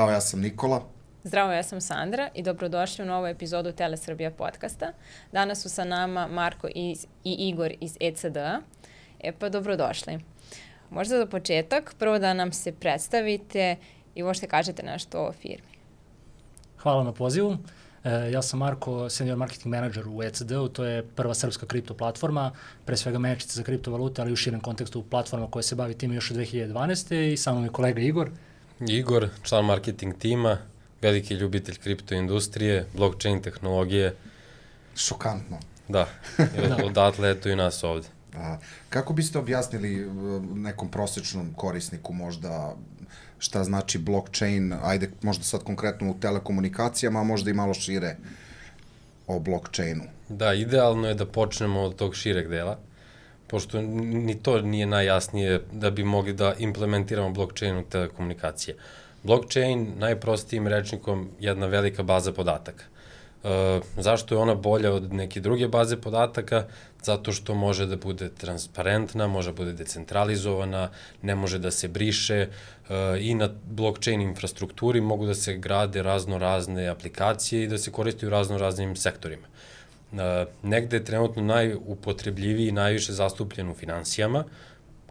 Zdravo, ja sam Nikola. Zdravo, ja sam Sandra i dobrodošli u novu epizodu Telesrbija podcasta. Danas su sa nama Marko i Igor iz ECD-a. Pa dobrodošli. Možda za početak, prvo da nam se predstavite i možete kažete nešto o firmi. Hvala na pozivu. Ja sam Marko, senior marketing manager u ECD-u, to je prva srpska kripto platforma, pre svega menadžerica za kriptovalute, ali u širem kontekstu platforma koja se bavi time još od 2012. I sa mnom je kolega Igor. Igor, član marketing tima, veliki ljubitelj kripto industrije, blockchain tehnologije. Šokantno. Da, odatle eto i nas ovde. Kako biste objasnili nekom prosječnom korisniku možda šta znači blockchain, ajde možda sad konkretno u telekomunikacijama, a možda i malo šire o blockchainu? Da, idealno je da počnemo od tog šireg dela, pošto ni to nije najjasnije da bi mogli da implementiramo blockchain u telekomunikacije. Blockchain, najprostijim rečnikom, jedna velika baza podataka. Zašto je ona bolja od neke druge baze podataka? Zato što može da bude transparentna, može da bude decentralizovana, ne može da se briše i na blockchain infrastrukturi mogu da se grade razne aplikacije i da se koriste u raznim sektorima. Negde je trenutno najupotrebljiviji i najviše zastupljen u finansijama.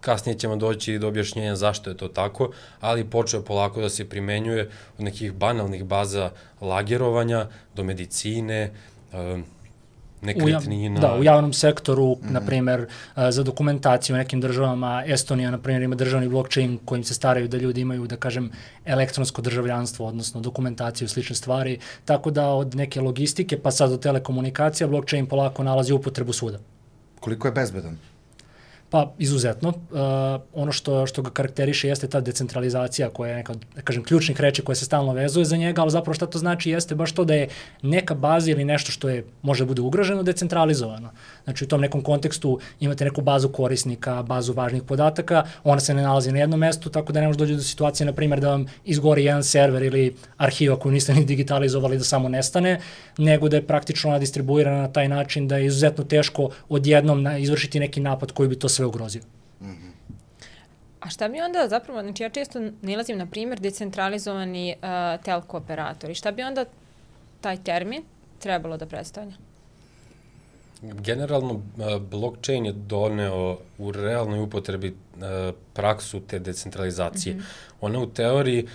Kasnije ćemo doći do objašnjenja zašto je to tako, ali počeo polako da se primenjuje od nekih banalnih baza lagerovanja do medicine, nekretnina. Da, u javnom sektoru, na primer, za dokumentaciju u nekim državama, Estonija, na primer, ima državni blockchain kojim se staraju da ljudi imaju, da kažem, elektronsko državljanstvo, odnosno dokumentaciju, slične stvari, tako da od neke logistike pa sad do telekomunikacija blockchain polako nalazi upotrebu svuda. Koliko je bezbedan? Pa, izuzetno. Ono što ga karakteriše jeste ta decentralizacija koja je neka, da kažem, ključnih reči koja se stalno vezuje za njega, ali zapravo šta to znači jeste baš to da je neka baza ili nešto što je, može bude ugroženo, decentralizovano. Znači u tom nekom kontekstu imate neku bazu korisnika, bazu važnih podataka, ona se ne nalazi na jednom mestu, tako da ne može doći do situacije, na primjer, da vam izgori jedan server ili arhiva koju niste ni digitalizovali da samo nestane, nego da je praktično ona distribuirana na taj način da je izuzetno teško odjednom izvršiti neki napad koji bi to sve ugrozio. A šta bi onda zapravo, znači ja često nalazim na primjer decentralizovani telko operatori, šta bi onda taj termin trebalo da predstavlja? Generalno, blockchain je doneo u realnoj upotrebi praksu te decentralizacije. Ona u teoriji,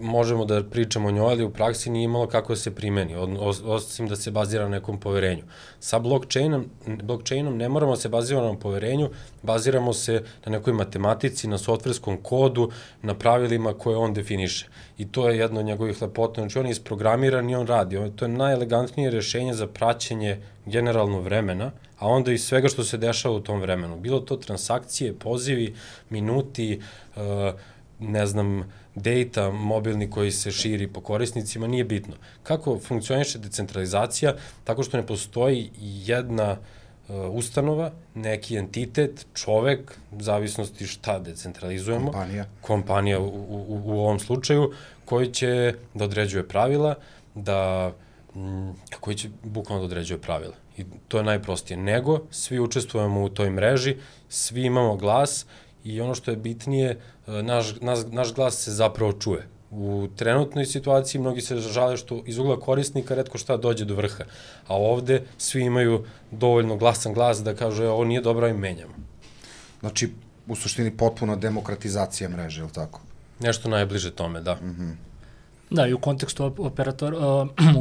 možemo da pričamo o njoj, ali u praksi nije imalo kako se primeni, osim da se bazira na nekom poverenju. Sa blockchainom ne moramo se bazirati na poverenju, baziramo se na nekoj matematici, na softverskom kodu, na pravilima koje on definiše. I to je jedno od njegovih lepota. Znači, on je isprogramiran i on radi. To je najelegantnije rešenje za praćenje generalno vremena, a onda i svega što se dešava u tom vremenu. Bilo to transakcije, pozivi, minuti, data mobilni koji se širi po korisnicima, nije bitno. Kako funkcioniše decentralizacija? Tako što ne postoji jedna ustanova, neki entitet, čovek, u zavisnosti šta decentralizujemo. Kompanija u ovom slučaju, koji će da određuje pravila, koji će bukvalno da određuje pravila. I to je najprostije. Nego, svi učestvujemo u toj mreži, svi imamo glas i ono što je bitnije, naš glas se zapravo čuje. U trenutnoj situaciji mnogi se žale što iz ugla korisnika retko šta dođe do vrha, a ovde svi imaju dovoljno glasan glas da kažu ovo nije dobro i menjamo. Znači, u suštini potpuna demokratizacija mreže, je li tako? Nešto najbliže tome, da. Da, i u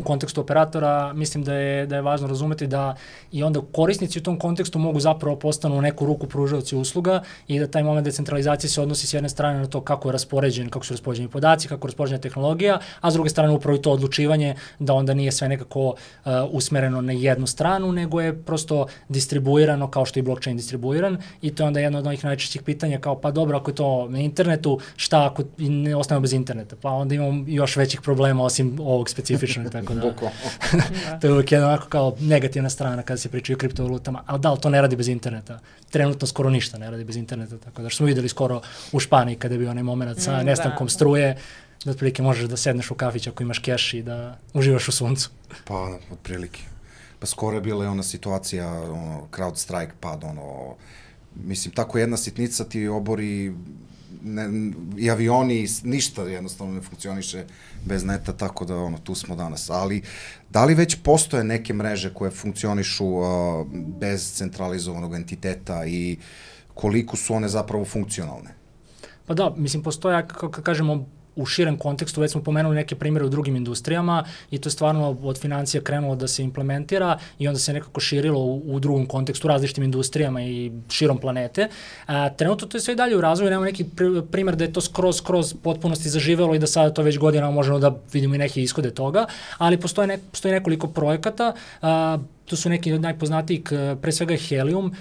kontekstu operatora mislim da je važno razumeti da i onda korisnici u tom kontekstu mogu zapravo postanu u neku ruku pružaoci usluga i da taj moment decentralizacije se odnosi s jedne strane na to kako su raspoređeni podaci, kako je raspoređena tehnologija, a s druge strane upravo i to odlučivanje da onda nije sve nekako usmereno na jednu stranu, nego je prosto distribuirano kao što je blockchain distribuiran i to je onda jedno od onih najčešćih pitanja kao pa dobro ako je to na internetu, šta ako ne ostanemo bez interneta? Pa onda imamo još većih problema osim ovog specifičnog, tako da to je uvijek jedna kao negativna strana kada se pričaju o kriptovalutama, ali da, to ne radi bez interneta. Trenutno skoro ništa ne radi bez interneta, tako da smo videli skoro u Španiji kada je bio onaj moment sa nestankom struje, da otprilike možeš da sedneš u kafić ako imaš keš i da uživaš u suncu. Pa, otprilike. Pa skoro je bila ona situacija, CrowdStrike pad, mislim, tako jedna sitnica ti obori i avioni, ništa jednostavno ne funkcioniše bez neta, tako da tu smo danas. Ali da li već postoje neke mreže koje funkcionišu bez centralizovanog entiteta i koliko su one zapravo funkcionalne? Pa da, mislim, postoje, kako kažemo, u širem kontekstu, već smo pomenuli neke primjere u drugim industrijama i to je stvarno od financija krenulo da se implementira i onda se nekako širilo u drugom kontekstu, različitim industrijama i širom planete. Trenutno to je sve dalje u razvoju, nemamo neki primjer da je to skroz potpunosti zaživelo i da sada to već godinama možemo da vidimo i neke ishode toga, ali postoji nekoliko projekata. Tu su neki od najpoznatijih, pre svega Helium,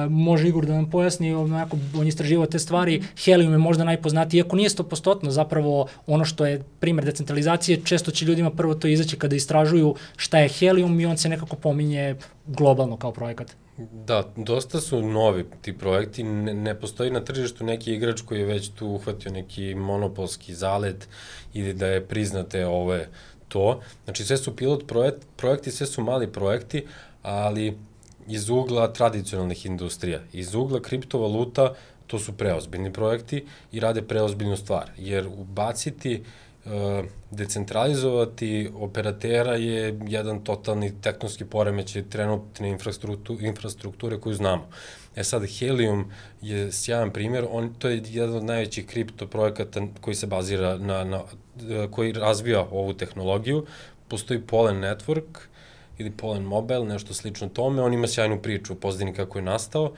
može Igor da nam pojasni, on je istraživao te stvari, Helium je možda najpoznatiji, iako nije 100%, zapravo ono što je primjer decentralizacije, često će ljudima prvo to izaći kada istražuju šta je Helium i on se nekako pominje globalno kao projekat. Da, dosta su novi ti projekti, ne postoji na tržištu neki igrač koji je već tu uhvatio neki monopolski zalet ili da je priznate to. Znači sve su pilot projekti, sve su mali projekti, ali iz ugla tradicionalnih industrija. Iz ugla kriptovaluta to su preozbiljni projekti i rade preozbiljnu stvar, jer ubaciti, decentralizovati operatera je jedan totalni tektonski poremećaj trenutne infrastrukture koju znamo. Sad, Helium je sjajan primjer, to je jedan od najvećih kripto projekata koji se bazira koji razvija ovu tehnologiju. Postoji Polen Network ili Polen Mobile, nešto slično tome, on ima sjajnu priču o pozadini kako je nastao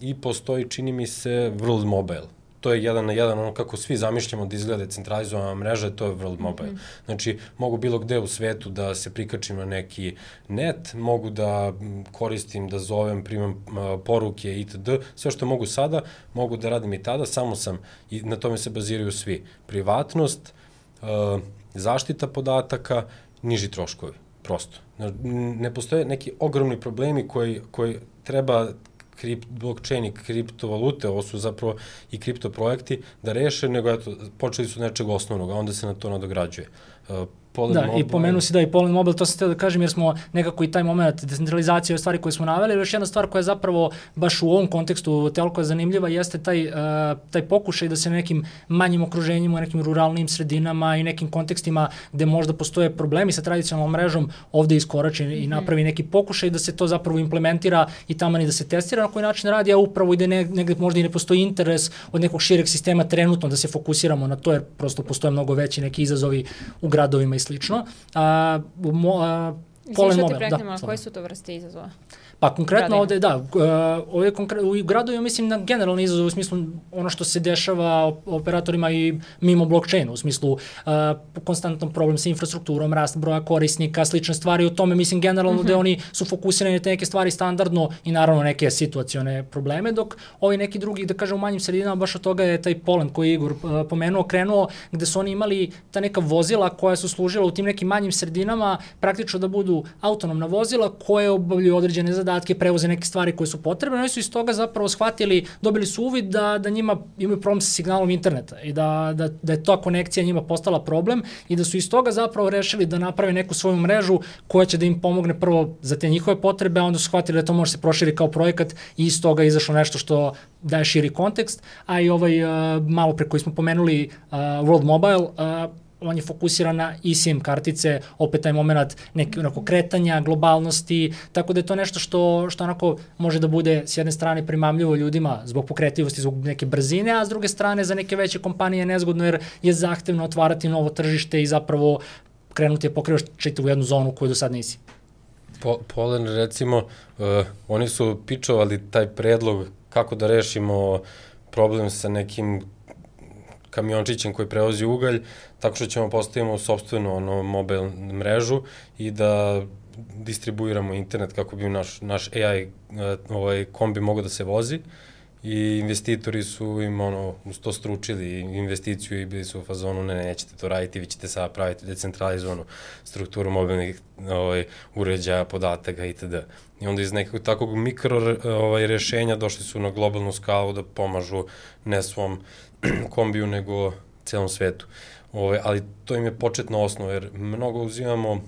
i postoji, čini mi se, World Mobile. To je jedan na jedan, ono kako svi zamišljamo da izgleda decentralizovana mreža, to je World Mobile. Znači, mogu bilo gde u svetu da se prikačim na neki net, mogu da koristim, da zovem, primam poruke itd. Sve što mogu sada, mogu da radim i tada, samo sam, i na tome se baziraju svi. Privatnost, zaštita podataka, niži troškovi, prosto. Ne postoje neki ogromni problemi koji treba blockchain i kriptovalute, ovo su zapravo i kriptoprojekti, da reše, nego počeli su nečeg osnovnog, a onda se na to nadograđuje. I pomenu si da i Polen Mobile, to sam htio da kažem jer smo nekako i taj moment decentralizacije, stvari koje smo naveli, još jedna stvar koja je zapravo baš u ovom kontekstu toliko zanimljiva jeste taj pokušaj da se nekim manjim okruženjima, nekim ruralnim sredinama i nekim kontekstima gde možda postoje problemi sa tradicionalnom mrežom ovde iskorači i napravi neki pokušaj da se to zapravo implementira i taman i da se testira na koji način radi, a upravo ide negde možda i ne postoji interes od nekog šireg sistema trenutno da se fokusiramo na to jer prosto postoje mnogo veći neki izazovi u gradovima i slično. Izvišao ti preknemo, koji su to vrste izazova? Pa konkretno ovde, da, u gradovima mislim na generalni izazov u smislu ono što se dešava operatorima i mimo blockchainu, u smislu konstantan problem sa infrastrukturom, rast broja korisnika, slične stvari, u tome mislim generalno da oni su fokusirani na te neke stvari standardno i naravno neke situacione probleme, dok ovi neki drugi, da kažem u manjim sredinama, baš od toga je taj Polen koji je Igor pomenuo, krenuo gde su oni imali ta neka vozila koja su služila u tim nekim manjim sredinama praktično da budu autonomna vozila koje obavljaju određene zadatke, prevoze neke stvari koje su potrebne. Oni su iz toga zapravo shvatili, dobili su uvid da njima imaju problem sa signalom interneta i da je ta konekcija njima postala problem i da su iz toga zapravo rešili da naprave neku svoju mrežu koja će da im pomogne prvo za te njihove potrebe, a onda su shvatili da to može se proširi kao projekat i iz toga izašlo nešto što daje širi kontekst, a i malo pre koji smo pomenuli World Mobile, on je fokusiran na eSIM kartice, opet taj moment nekog kretanja, globalnosti, tako da je to nešto što onako može da bude s jedne strane primamljivo ljudima zbog pokretljivosti, zbog neke brzine, a s druge strane za neke veće kompanije nezgodno jer je zahtevno otvarati novo tržište i zapravo krenuti je pokrivaš čitavu jednu zonu koju do sad nisi. Polen, recimo, oni su pičovali taj predlog kako da rešimo problem sa nekim kamiončićem koji prevozi ugalj, tako što ćemo postavimo sopstvenu mobilnu mrežu i da distribuiramo internet kako bi naš AI kombi mogao da se vozi i investitori su im uz to stručili investiciju i bili su u fazonu nećete to raditi, vi ćete sada praviti decentralizovanu strukturu mobilnih uređaja, podataka itd. I onda iz nekog takvog mikro rešenja došli su na globalnu skalu da pomažu ne svom kombiju nego celom svetu. Ali to im je početna osnova jer mnogo uzimamo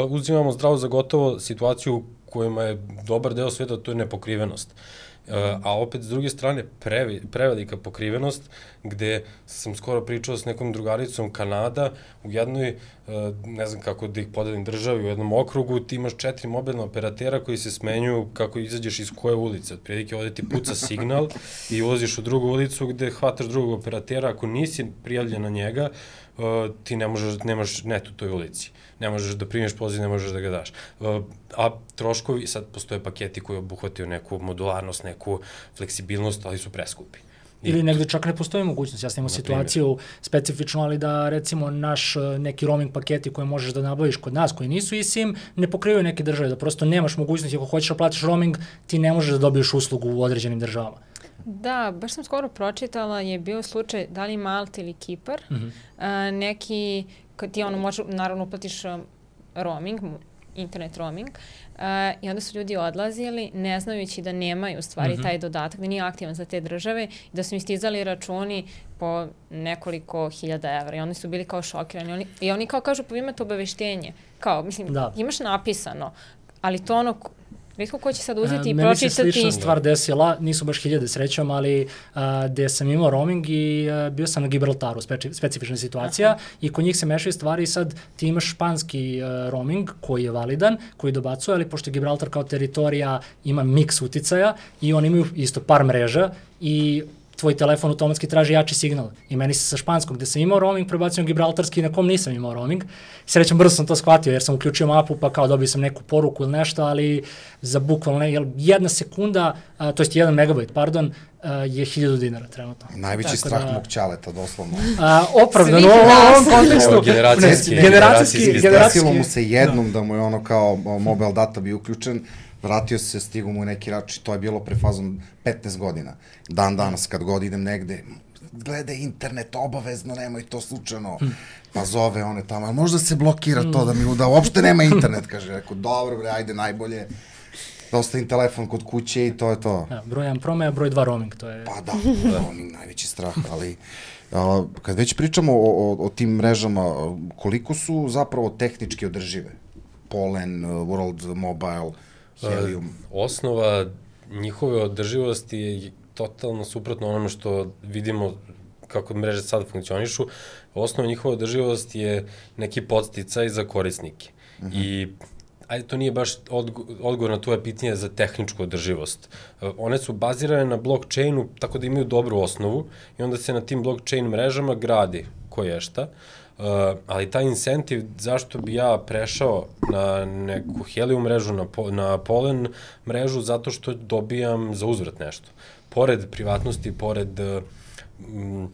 uzimamo zdravo za gotovo situaciju kojima je dobar deo sveta, to je nepokrivenost. A opet, s druge strane, prevelika pokrivenost, gde sam skoro pričao s nekom drugaricom Kanada, u jednoj, ne znam kako da ih podelim državi, u jednom okrugu ti imaš 4 mobilna operatera koji se smenjuju kako izađeš iz koje ulice. Otprilike ovde ti puca signal i ulaziš u drugu ulicu gde hvataš drugog operatera, ako nisi prijavljen na njega, ti nemaš net u toj ulici. Ne možeš da primiš poziv, ne možeš da ga daš. A troškovi, sad postoje paketi koji obuhvataju neku modularnost, neku fleksibilnost, ali su preskupi. Ili negde čak ne postoji mogućnost. Ja sam imao situaciju specifično, ali da recimo naš neki roaming paketi koje možeš da nabaviš kod nas, koji nisu eSIM, ne pokrivaju neke države, da prosto nemaš mogućnosti, ako hoćeš da platiš roaming, ti ne možeš da dobiješ uslugu u određenim državama. Da, baš sam skoro pročitala, je bio slučaj da li Malta ili Kipar, neki, kad ti možeš, naravno uplatiš roaming, internet roaming, i onda su ljudi odlazili ne znajući da nemaju u stvari taj dodatak, da nije aktivan za te države i da su im stizali računi po nekoliko hiljada evra i oni su bili kao šokirani. I oni kao kažu, pa vi imate obaveštenje. Kao, mislim, imaš napisano, ali to retko ko će sad uzeti i pročitati. Meni se slična stvar desila, nisu baš hiljade srećom, ali gde sam imao roaming i bio sam na Gibraltaru, specifična situacija, i kod njih se mešaju stvari i sad ti imaš španski roaming koji je validan, koji dobacuje, ali pošto Gibraltar kao teritorija ima miks uticaja i oni imaju isto par mreža i tvoj telefon automatski traži jači signal. I meni se sa španskog, gde sam imao roaming, prebacio na gibraltarski, na kom nisam imao roaming. Srećom, brzo sam to shvatio, jer sam uključio mapu, pa kao dobio sam neku poruku ili nešto, ali za bukvalno jedna sekunda, to jest 1 megabajt, pardon, je 1000 dinara trenutno. Najveći strah mog ćaleta, doslovno. Opravdano u ovom kontekstu. Generacijski. Desilo mu se jednom da mu je ono kao mobile data bio uključen, vratio se, stigo mu neki rač i to je bilo pre fazom 15 godina. Dan danas, kad god idem negde, gledaj internet, obavezno, nemoj to slučajno. Pa zove one tamo, možda se blokira to da mi da uopšte nema internet, kaže. Rekao, dobro bre, ajde, najbolje. Da ostavim telefon kod kuće i to je to. Broj 1 promeja, broj 2 roaming, to je... Pa da, roaming, najveći strah, ali... Kad već pričamo o tim mrežama, koliko su zapravo tehnički održive? Polen, World Mobile, Helium. Osnova njihove održivosti je totalno suprotno onome što vidimo kako mreže sad funkcionišu. Osnova njihove održivosti je neki podsticaj za korisnike. I ajde, to nije baš odgovor na tvoje pitanje za tehničku održivost. One su bazirane na blockchainu, tako da imaju dobru osnovu i onda se na tim blockchain mrežama gradi koje šta. Ali taj incentiv, zašto bi ja prešao na neku Helium mrežu, na Polen mrežu, zato što dobijam za uzvrat nešto. Pored privatnosti, pored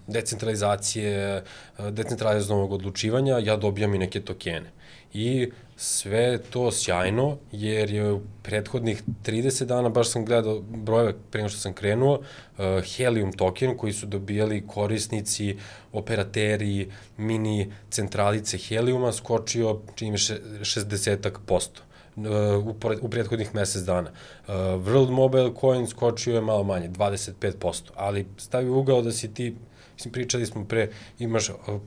decentralizacije, decentralizovanog odlučivanja, ja dobijam i neke tokene. I sve to sjajno, jer je u prethodnih 30 dana, baš sam gledao brojeve pre nego što sam krenuo, Helium token koji su dobijali korisnici, operateri, mini centralice Heliuma skočio, čini mi 60% u prethodnih mesec dana. World Mobile Coin skočio je malo manje, 25%, ali stavi ugao da si ti, mislim, pričali smo pre,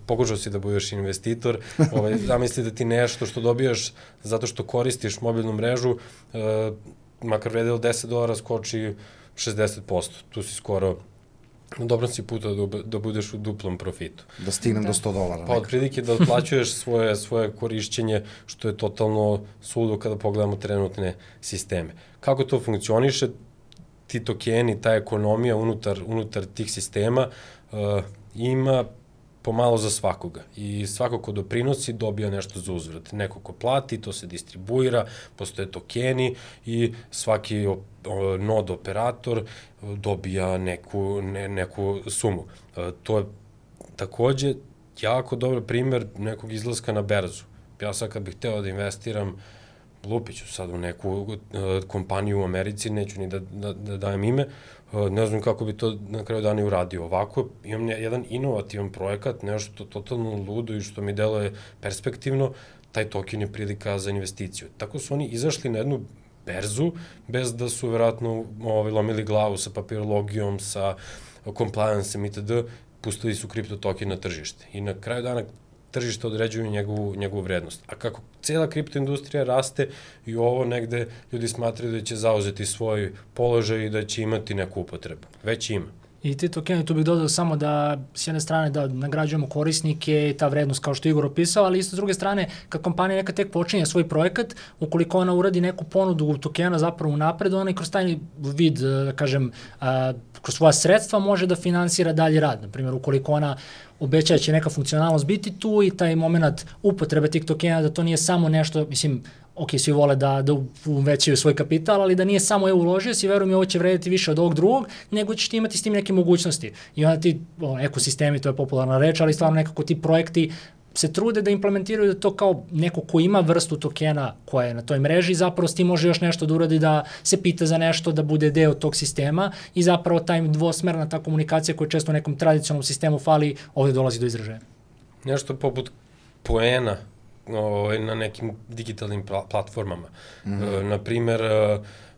pokušao si da budeš investitor, zamisli da ti nešto što dobijaš zato što koristiš mobilnu mrežu, makar vredilo $10, skoči 60%. Tu si skoro, na dobrom si puta da budeš u duplom profitu. Da stignem do $100. Pa otprilike da otplaćuješ svoje korišćenje, što je totalno suludo kada pogledamo trenutne sisteme. Kako to funkcioniše? Ti tokeni, ta ekonomija unutar tih sistema ima pomalo za svakoga i svako ko doprinosi dobija nešto za uzvrat. Neko ko plati, to se distribuira, postoje tokeni i svaki nod operator dobija neku sumu. To je takođe jako dobar primer nekog izlaska na berzu. Ja sad kad bih hteo da investiram, lupiću sad u neku kompaniju u Americi, neću ni da dajem ime, ne znam kako bi to na kraju dana i uradio. Ovako, imam jedan inovativan projekat, nešto totalno ludo i što mi deluje perspektivno, taj token je prilika za investiciju. Tako su oni izašli na jednu berzu, bez da su verovatno lomili glavu sa papirologijom, sa compliance-em itd., pustili su kripto token na tržište. I na kraju dana tržište određuju njegovu vrednost. A kako cijela kriptoindustrija raste i ovo negde ljudi smatraju da će zauzeti svoj položaj i da će imati neku upotrebu. Već ima. I ti tokeni, tu bih dodao samo da s jedne strane da nagrađujemo korisnike i ta vrednost kao što je Igor opisao, ali isto s druge strane kad kompanija neka tek počinje svoj projekat, ukoliko ona uradi neku ponudu tokena zapravo unapred, ona i kroz taj vid, da kažem, kroz svoja sredstva može da finansira dalji rad. Naprimjer, ukoliko ona obeća da će neka funkcionalnost biti tu i taj moment upotrebe tih tokena, da to nije samo nešto, mislim, ok, svi vole da uvećaju svoj kapital, ali da nije samo uložio si, verujem, ovo će vrediti više od ovog drugog, nego ćeš ti imati s tim neke mogućnosti. I onda ti, ekosistemi, to je popularna reč, ali stvarno nekako ti projekti se trude da implementiraju da to kao neko ko ima vrstu tokena koja je na toj mreži, zapravo s tim može još nešto da uradi, da se pita za nešto, da bude deo tog sistema i zapravo taj dvosmerna ta komunikacija koja često u nekom tradicionalnom sistemu fali, ovde dolazi do izražaja. Nešto poput poena na nekim digitalnim platformama. Naprimer,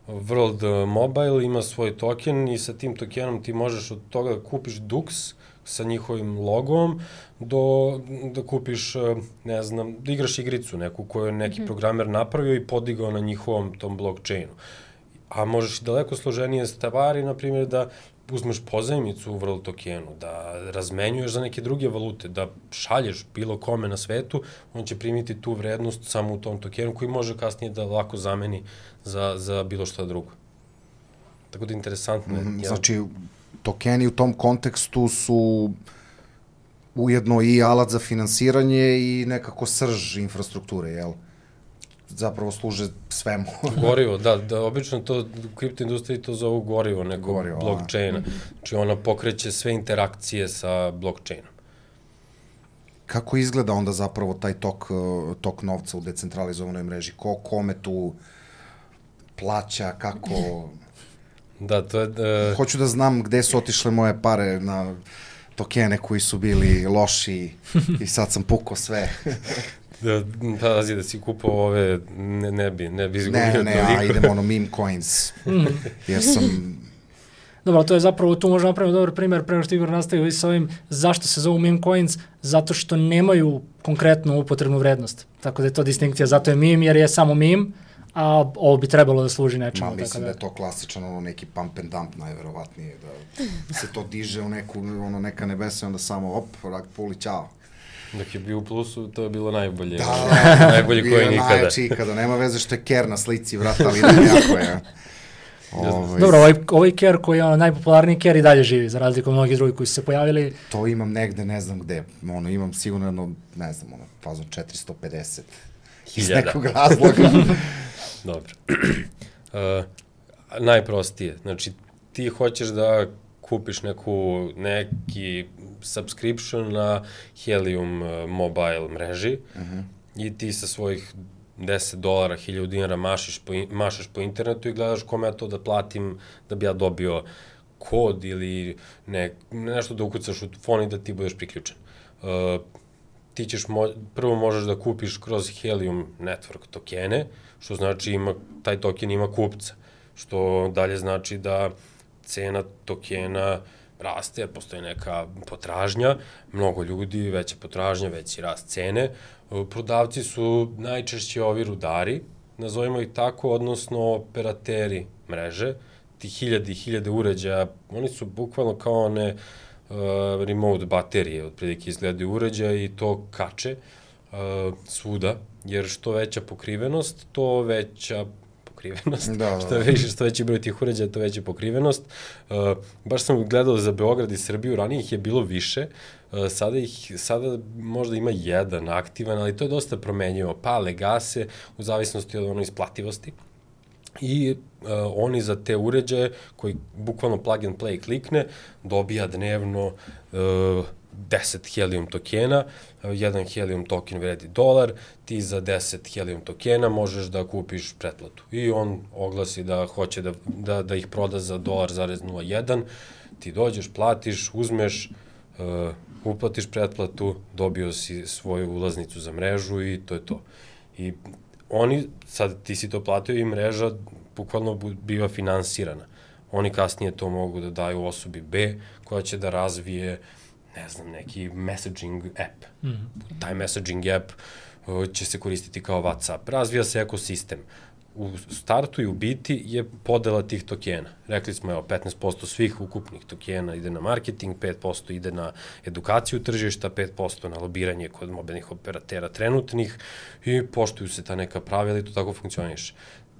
World Mobile ima svoj token i sa tim tokenom ti možeš od toga da kupiš Dux sa njihovim logom da kupiš, ne znam, da igraš igricu neku koju je neki programer napravio i podigao na njihovom tom blockchainu. A možeš daleko složenije stvari, na primjer, da uzmeš pozajmicu u World tokenu, da razmenjuješ za neke druge valute, da šalješ bilo kome na svetu, on će primiti tu vrednost samo u tom tokenu koji može kasnije da lako zameni za bilo što drugo. Tako da interesantno je. Znači, tokeni u tom kontekstu su ujedno i alat za finansiranje i nekako srž infrastrukture, jel? Zapravo služe svemu. Gorivo, da, obično to u kriptoindustriji to zovu gorivo nekog blockchaina. Znači ona pokreće sve interakcije sa blockchainom. Kako izgleda onda zapravo taj tok novca u decentralizovanoj mreži? Ko kome tu plaća, kako... Da, to je... Hoću da znam gde su otišle moje pare na tokene koji su bili loši i sad sam pukao sve. Pazi da si kupao ove, ne bi izgubio toliko. Ne, idemo meme coins, jer sam... Dobro, to je zapravo, tu možemo napraviti dobar primjer, prema što Igor nastavio s ovim, zašto se zovu meme coins, zato što nemaju konkretnu upotrebnu vrednost. Tako da je to distinkcija, zato je meme jer je samo meme, a ovo bi trebalo da služi nečemu. Mislim da je to klasičan neki pump and dump najverovatnije, da se to diže u neka nebesa i onda samo rak puli, ćao. Dok je bio u plusu, to je bilo najbolje. Najbolje koji nikada. Bio najjači ikada, nema veze što je Ker na slici, vrat, ali jako je. Dobro, ovaj Ker koji je najpopularniji Ker i dalje živi, za razliku od mnogih drugih koji su se pojavili. To imam negde, ne znam gde, imam sigurno, ne znam, fazom 450 iz nekog razloga. Dobro. Najprostije, znači ti hoćeš da kupiš neki subscription na Helium mobile mreži i ti sa svojih $10, $1000 mašaš po internetu i gledaš kome ja to da platim da bi ja dobio kod ili nešto da ukucaš u fon i da ti budeš priključen. Ti ćeš prvo možeš da kupiš kroz Helium Network tokene, što znači taj token ima kupca, što dalje znači da cena tokena raste, jer postoji neka potražnja, mnogo ljudi, veća potražnja, veći rast cene. Prodavci su najčešće ovi rudari, nazovimo ih tako, odnosno operateri mreže, ti hiljade uređaja, oni su bukvalno kao one remote baterije, otprilike izgledaju uređaja i to kače svuda, jer što veća pokrivenost, to veća pokrivenost. Što veći broj tih uređaja, to veća pokrivenost. Baš sam gledao za Beograd i Srbiju, ranije ih je bilo više, sada možda ima jedan aktivan, ali to je dosta promenjivo. Pale, gase, u zavisnosti od isplativosti. I oni za te uređaje, koji bukvalno plug and play klikne, dobija dnevno 10 Helium tokena, jedan Helium token vredi $1, ti za 10 Helium tokena možeš da kupiš pretplatu. I on oglasi da hoće da ih proda za $1,01, ti dođeš, platiš, uzmeš, uplatiš pretplatu, dobio si svoju ulaznicu za mrežu i to je to. I oni, sad ti si to platio i mreža bukvalno biva finansirana. Oni kasnije to mogu da daju osobi B koja će da razvije ne znam, neki messaging app. Taj messaging app će se koristiti kao WhatsApp. Razvija se ekosistem. U startu i u biti je podela tih tokena. Rekli smo, 15% svih ukupnih tokena ide na marketing, 5% ide na edukaciju tržišta, 5% na lobiranje kod mobilnih operatera trenutnih i poštuju se ta neka pravila i to tako funkcioniše.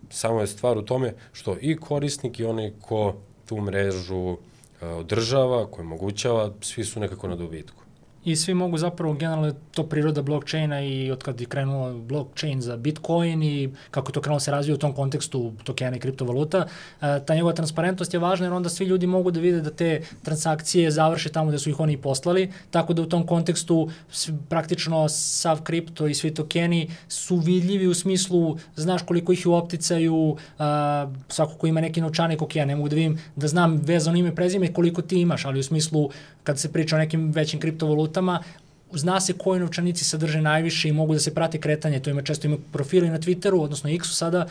Samo je stvar u tome što i korisnik i onaj ko tu mrežu održava, ko omogućava, svi su nekako na dobitku. I svi mogu zapravo, generalno to priroda blockchaina i od kad je krenuo blockchain za Bitcoin i kako to krenulo se razvija u tom kontekstu tokena i kriptovaluta, ta njegova transparentnost je važna jer onda svi ljudi mogu da vide da te transakcije završe tamo gde su ih oni poslali, tako da u tom kontekstu praktično sav kripto i svi tokeni su vidljivi u smislu znaš koliko ih je u opticaju, svako ko ima neki novčanik, ok, ja ne mogu da vidim da znam vezano ime prezime koliko ti imaš, ali u smislu kad se priča o nekim većim kriptovalutama, zna se koji novčanici sadrže najviše i mogu da se prate kretanje. To često ima profili na Twitteru, odnosno X-u sada,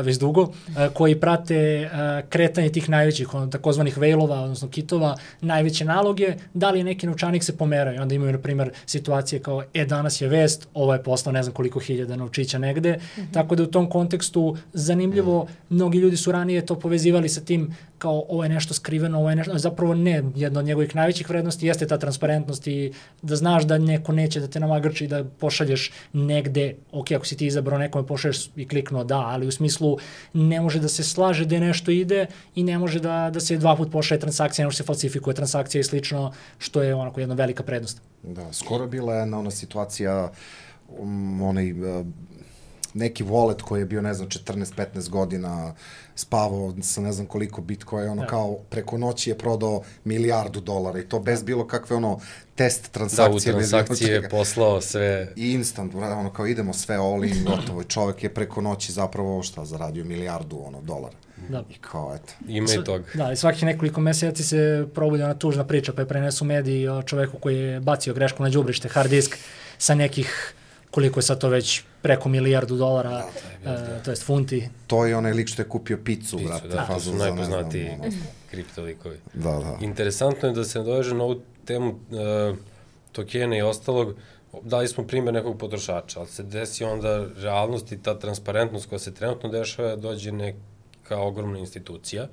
već dugo, koji prate kretanje tih najvećih, takozvanih whale-ova, odnosno kitova, najveće naloge, da li je neki novčanik se pomerao. I onda imaju, na primjer, situacije kao, danas je vest, ovo je poslao ne znam koliko hiljada novčića negde. Tako da u tom kontekstu zanimljivo, mnogi ljudi su ranije to povezivali sa tim kao ovo je nešto skriveno, ovo je nešto, zapravo ne, jedna od njegovih najvećih vrednosti jeste ta transparentnost i da znaš da neko neće da te namagrči da pošalješ negde, ok, ako si ti izabrao nekome pošalješ i kliknuo da, ali u smislu ne može da se slaže da nešto ide i ne može da se dva put pošalje transakcija, ne može se falsifikuje transakcija i slično, što je onako jedna velika prednost. Da, skoro bila jedna ona situacija, neki wallet koji je bio, ne znam, 14-15 godina, spavao sa ne znam koliko Bitcoin, kao preko noći je prodao $1.000.000 i to bez bilo kakve test transakcije. Da, u transakcije je poslao sve. I instant, kao idemo sve all in, gotovo. I čovek je preko noći zapravo zaradio $1.000.000. Da. I kao, eto. Ima i toga. Da, i svakih nekoliko meseci se probudi ona tužna priča, pa je prenesu mediji o čoveku koji je bacio grešku na đubrište, hard disk, sa nekih, koliko je sad to već, preko $1.000.000, to jest funti. To je onaj lik što je kupio pizzu, brate. Da, to su najpoznatiji kriptolikovi. Da. Interesantno je da se nadoveže na ovu temu tokena i ostalog. Dali smo primjer nekog potrošača, ali se desi onda realnost i ta transparentnost koja se trenutno dešava, dođe neka ogromna institucija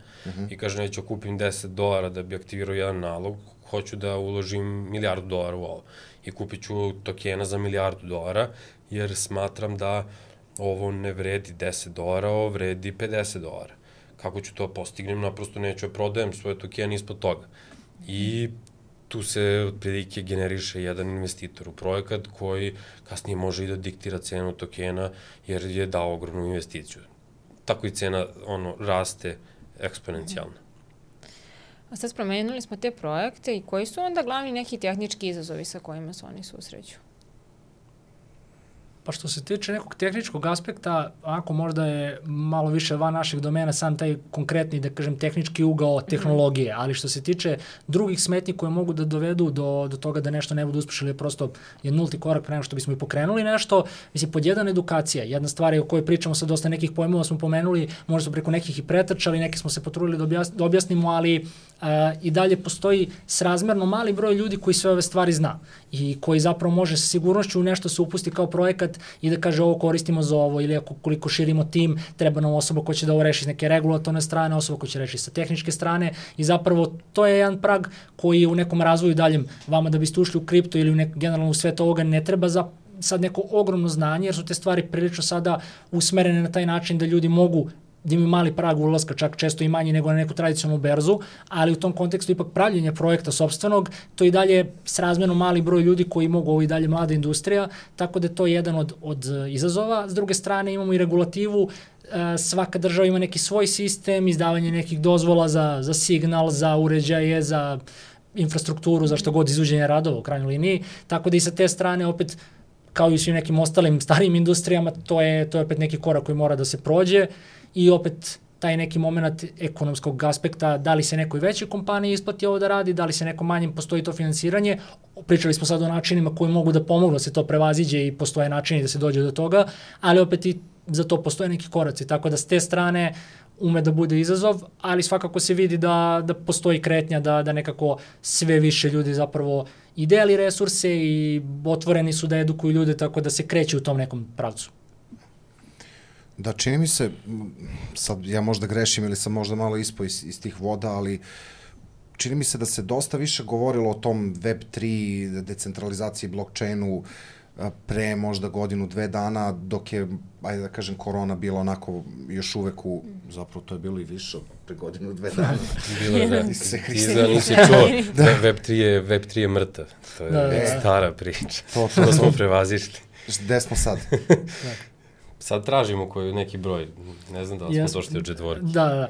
i kaže neću kupim $10 da bi aktivirao jedan nalog, hoću da uložim $1.000.000 u ovo i kupit ću tokena za $1.000.000 jer smatram da ovo ne vredi $10, ovo vredi $50. Kako ću to postignem? Naprosto neću da prodajem svoje tokene ispod toga. I tu se otprilike generiše jedan investitor u projekat koji kasnije može i da diktira cenu tokena jer je dao ogromnu investiciju. Tako i cena raste eksponencijalno. A sad spomenuli smo te projekte i koji su onda glavni neki tehnički izazovi sa kojima se oni susreću? Pa što se tiče nekog tehničkog aspekta, ako možda je malo više van našeg domena sam taj konkretni, da kažem, tehnički ugao tehnologije, ali što se tiče drugih smetnji koje mogu da dovedu do toga da nešto ne bude uspešno ili prosto je nulti korak pre nego što bismo i pokrenuli nešto, mislim, pod jedan edukacija. Jedna stvar je o kojoj pričamo sa dosta nekih pojmova smo pomenuli, možda smo preko nekih i pretrčali, neke smo se potrudili da objasnimo, ali i dalje postoji srazmerno mali broj ljudi koji sve ove stvari zna i koji zapravo može sa sigurnošću u nešto se upusti kao projekat i da kaže ovo koristimo za ovo ili koliko širimo tim, treba nam osoba koja će da ovo reši s neke regulatorne strane, osoba koja će reši sa tehničke strane i zapravo to je jedan prag koji u nekom razvoju daljem vama da biste ušli u kripto ili generalno u svet ovoga ne treba sad neko ogromno znanje jer su te stvari prilično sada usmerene na taj način da ljudi mogu da imaju mali prag ulaska, čak često i manji nego na neku tradicionalnu berzu, ali u tom kontekstu ipak pravljenje projekta sopstvenog, to i dalje srazmerno mali broj ljudi koji mogu, ovo i dalje mlada industrija, tako da je to jedan od izazova. S druge strane imamo i regulativu, svaka država ima neki svoj sistem, izdavanje nekih dozvola za signal, za uređaje, za infrastrukturu, za što god izuđenje radova u krajnjoj liniji, tako da i sa te strane opet kao i svim nekim ostalim starijim industrijama, to je opet neki korak koji mora da se prođe i opet taj neki moment ekonomskog aspekta, da li se nekoj većoj kompaniji isplati ovo da radi, da li se nekom manjem postoji to finansiranje. Pričali smo sad o načinima koji mogu da pomognu da se to prevaziđe i postoje načini da se dođe do toga, ali opet i za to postoje neki koraci, tako da s te strane ume da bude izazov, ali svakako se vidi da postoji kretnja, da nekako sve više ljudi zapravo i deli resurse i otvoreni su da edukuju ljude, tako da se kreće u tom nekom pravcu. Da, čini mi se, sad ja možda grešim ili sam možda malo ispao iz tih voda, ali čini mi se da se dosta više govorilo o tom Web3, decentralizaciji, blockchainu pre možda godinu, 2 dana, dok je, ajde da kažem, korona bila onako još uvek zapravo to je bilo i više pre godinu, 2 dana. Bilo je, da. Ti da nisi čuo, Web3 je mrtav. To je stara priča. To smo prevazišli. Gde smo sad? Sad tražimo neki broj, ne znam da li smo došli od četvorke. Da.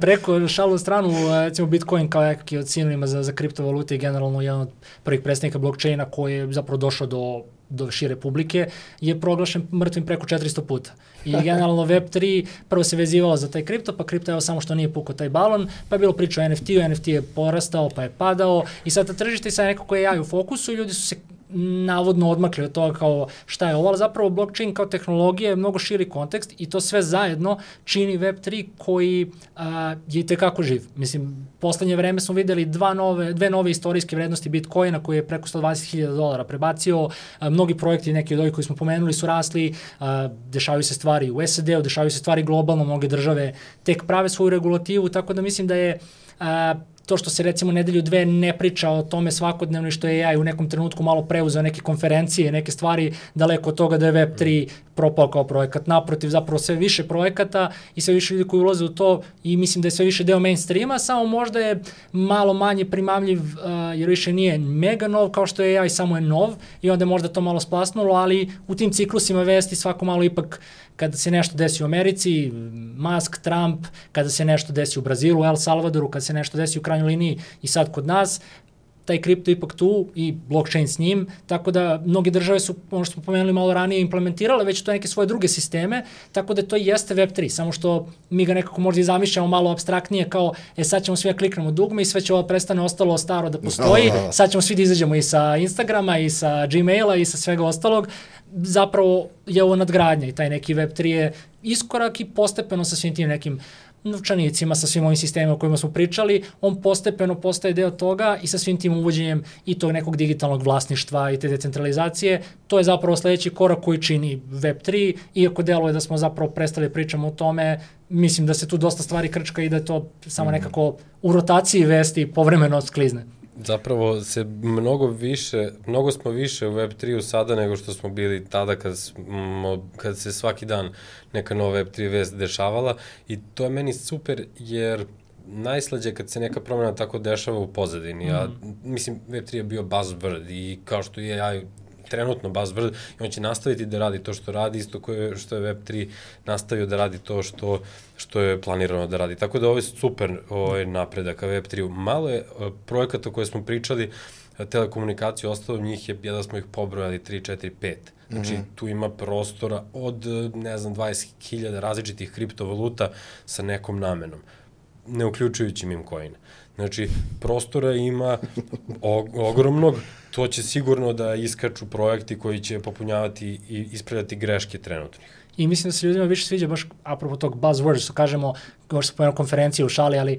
Preko šalu stranu, recimo Bitcoin kao nekakvi od sinonima za kriptovalute i generalno jedan od prvih predstavnika blockchaina koji je zapravo došao do šire publike, je proglašen mrtvim preko 400 puta. I generalno Web3 prvo se vezivalo za taj kripto, pa kripto je samo što nije pukao taj balon, pa je bilo priča o NFT-u, NFT je porastao, pa je padao i sad ta tržište sad neko koje je u fokusu i ljudi su se navodno odmakli od toga kao šta je ovo, ali zapravo blockchain kao tehnologija je mnogo širi kontekst i to sve zajedno čini Web3 koji je i tekako živ. Mislim, poslednje vreme smo videli dve nove istorijske vrednosti Bitcoina koji je preko $120,000 prebacio, mnogi projekti, neki od ovih koji smo pomenuli su rasli, dešavaju se stvari u SAD-u, dešavaju se stvari globalno, mnoge države tek prave svoju regulativu, tako da mislim da je to što se recimo nedelju, 2 ne priča o tome svakodnevno i što je AI u nekom trenutku malo preuzeo neke konferencije, neke stvari, daleko od toga da je Web3 propao kao projekat. Naprotiv, zapravo sve više projekata i sve više ljudi koji ulaze u to i mislim da je sve više deo mainstreama, samo možda je malo manje primamljiv jer više nije mega nov kao što je AI, samo je nov i onda je možda to malo splasnulo, ali u tim ciklusima vesti svako malo ipak kada se nešto desi u Americi, Musk, Trump, kada se nešto desi u Brazilu, El Salvadoru, kada se nešto desi u krajnjoj liniji i sad kod nas, taj kripto ipak tu i blockchain s njim, tako da mnoge države su, ono što smo pomenuli malo ranije, implementirale već to neke svoje druge sisteme, tako da to jeste Web3, samo što mi ga nekako možda i zamišljamo malo abstraktnije kao, sad ćemo svi da kliknemo dugme i sve će ovo prestane ostalo staro da postoji, sad ćemo svi da izađemo i sa Instagrama i sa Gmaila i sa svega ostalog, zapravo je ovo nadgradnja i taj neki Web3 je iskorak i postepeno sa svim tim nekim novčanicima, sa svim ovim sistemima o kojima smo pričali, on postepeno postaje deo toga i sa svim tim uvođenjem i tog nekog digitalnog vlasništva i te decentralizacije, to je zapravo sledeći korak koji čini Web3, iako deluje da smo zapravo prestali pričamo o tome, mislim da se tu dosta stvari krčka i da je to samo nekako u rotaciji vesti povremeno sklizne. Zapravo se mnogo smo više u Web3-u sada nego što smo bili tada kad se svaki dan neka nova Web3 vest dešavala i to je meni super jer najslađe kad se neka promjena tako dešava u pozadini, a mislim Web3 je bio buzzword i kao što je AI trenutno buzzword i on će nastaviti da radi to što radi, isto što je Web3 nastavio da radi to što je planirano da radi. Tako da ovo je super napredak ka Web3-u. Malo je projekata koje smo pričali, telekomunikaciju, ostalo njih je, da smo ih pobrojali 3, 4, 5. Znači, tu ima prostora od, 20.000 različitih kriptovaluta sa nekom namenom, ne uključujući meme coin. Znači, prostora ima ogromnog, to će sigurno da iskaču projekti koji će popunjavati i ispravljati greške trenutnih. I mislim da se ljudima više sviđa baš apropo tog buzzword, što kažemo, kao što se pojeno konferencije u šali, ali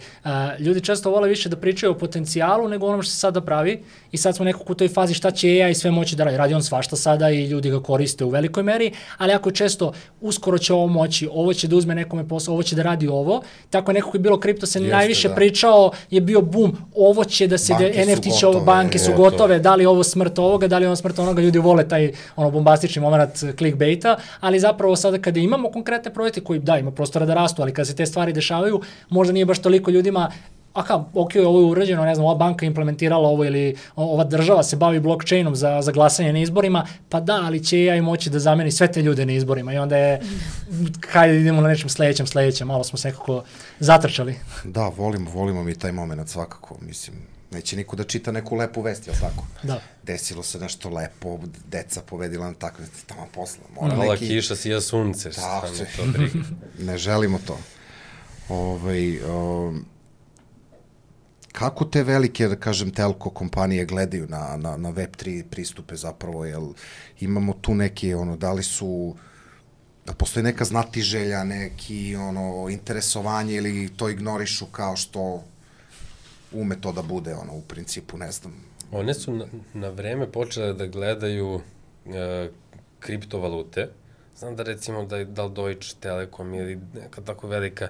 ljudi često vole više da pričaju o potencijalu nego onom što se sada pravi i sad smo nekako u toj fazi šta će AI sve moći da radi. Radi on svašta sada i ljudi ga koriste u velikoj meri, ali ako često uskoro će ovo moći, ovo će da uzme nekome posao, ovo će da radi ovo, tako nekako je bilo kripto se najviše pričao, je bio boom, ovo će da se, NFT će ovo, banke su gotove, da li ovo smrt ovoga, da li ovo smrt onoga, ljudi vole taj bombastični moment clickbaita, ali zapravo sada kada imamo konkretne projekte koji ima prostora da rastu, ali kada se te stvari dešavaju, možda nije baš toliko ljudima, ovo je urađeno, ne znam, ova banka implementirala ovo ili ova država se bavi blockchainom za glasanje na izborima, pa da, ali će AI moći da zameni sve te ljude na izborima i onda je, hajde idemo na nečem sledećem, malo smo se nekako zatrčali. Da, volimo mi taj moment svakako, mislim, neće niko da čita neku lepu vest, jel tako? Da. Desilo se nešto lepo, deca povedila na takve, tamo posla. Mala kiša, sija sunce, šta me to briga. Ne želimo to. Kako te velike, da kažem, telko kompanije gledaju na Web3 pristupe zapravo, jel imamo tu neke, da li su Da postoji neka znatiželja, neki interesovanje ili to ignorišu kao što ume to da bude, u principu, ne znam. One su na vreme počele da gledaju kriptovalute. Znam da recimo da li Deutsche Telekom ili neka tako velika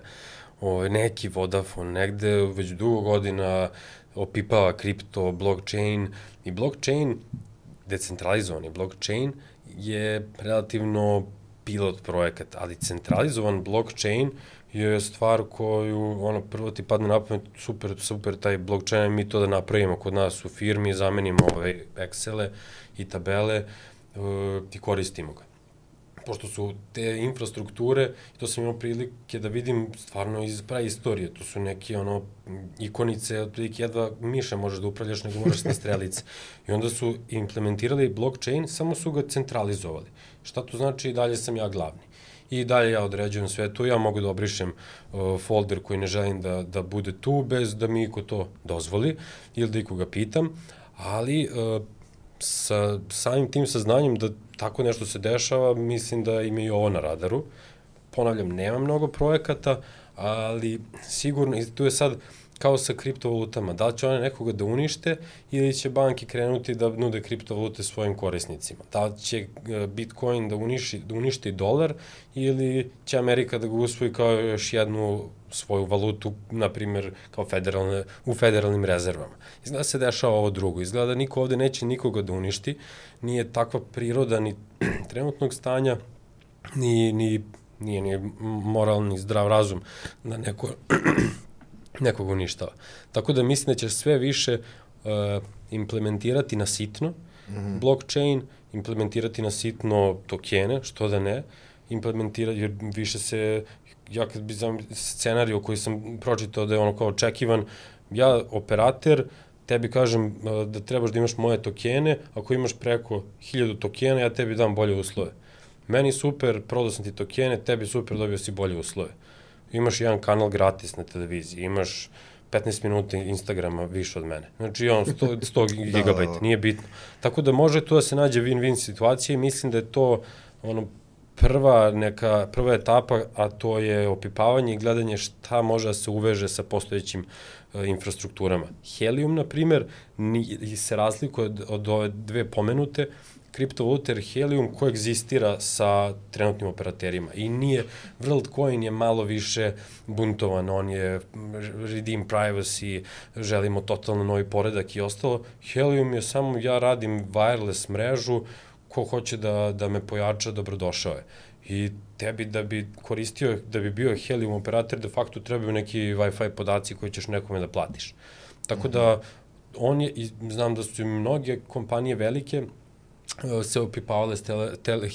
neki Vodafone negde već dugo godina opipava kripto, blockchain i blockchain, decentralizovani blockchain je relativno pilot projekat, ali centralizovan blockchain je stvar koju, prvo ti padne na pamet, super taj blockchain, mi to da napravimo kod nas u firmi, zamenimo ove Excele i tabele i koristimo ga. Pošto su te infrastrukture, to sam imao prilike da vidim stvarno iz praistorije, to su neke ikonice, otprilike jedva miša možeš da upravljaš, nego moraš na strelice. I onda su implementirali blockchain, samo su ga centralizovali. Šta to znači? I dalje sam ja glavni. I dalje ja određujem sve to, ja mogu da obrišem folder koji ne želim da bude tu, bez da mi iko to dozvoli ili da ikoga pitam, ali sa samim tim saznanjem da tako nešto se dešava, mislim da ima i ovo na radaru. Ponavljam, nema mnogo projekata, ali sigurno, i tu je sad kao sa kriptovalutama, da li će one nekoga da unište ili će banke krenuti da nude kriptovalute svojim korisnicima? Da li će Bitcoin da uništi dolar ili će Amerika da ga usvoji kao još jednu svoju valutu, na primjer, kao u federalnim rezervama? Izgleda se dešava ovo drugo. Izgleda da niko ovde neće nikoga da uništi. Nije takva priroda ni trenutnog stanja, nije ni moralni zdrav razum da nekog uništava. Tako da mislim da će sve više implementirati na sitno blockchain, implementirati na sitno tokene, što da ne, implementirati, jer više se, ja kad bi scenariju koji sam pročitao da je kao očekivan, ja operater, tebi kažem da trebaš da imaš moje tokene, ako imaš preko 1000 tokena, ja tebi dam bolje uslove. Meni super, prodao sam ti tokene, tebi super, dobio si bolje uslove. Imaš jedan kanal gratis na televiziji, imaš 15 minuta Instagrama više od mene. Znači, 100 gigabajta, nije bitno. Tako da može tu da se nađe win-win situacija i mislim da je to prva etapa, a to je opipavanje i gledanje šta može da se uveže sa postojećim infrastrukturama. Helium, na primer, se razlikuje od ove dve pomenute, kriptovalute, jer Helium koegzistira sa trenutnim operaterima i nije, WorldCoin je malo više buntovan, on je redeem privacy, želimo totalno novi poredak i ostalo. Helium je samo, ja radim wireless mrežu, ko hoće da me pojača, dobrodošao je. I tebi da bi koristio, da bi bio Helium operator, de facto trebaju neki Wi-Fi podaci koji ćeš nekome da platiš. Tako da, znam da su mnoge kompanije velike, se opipavale s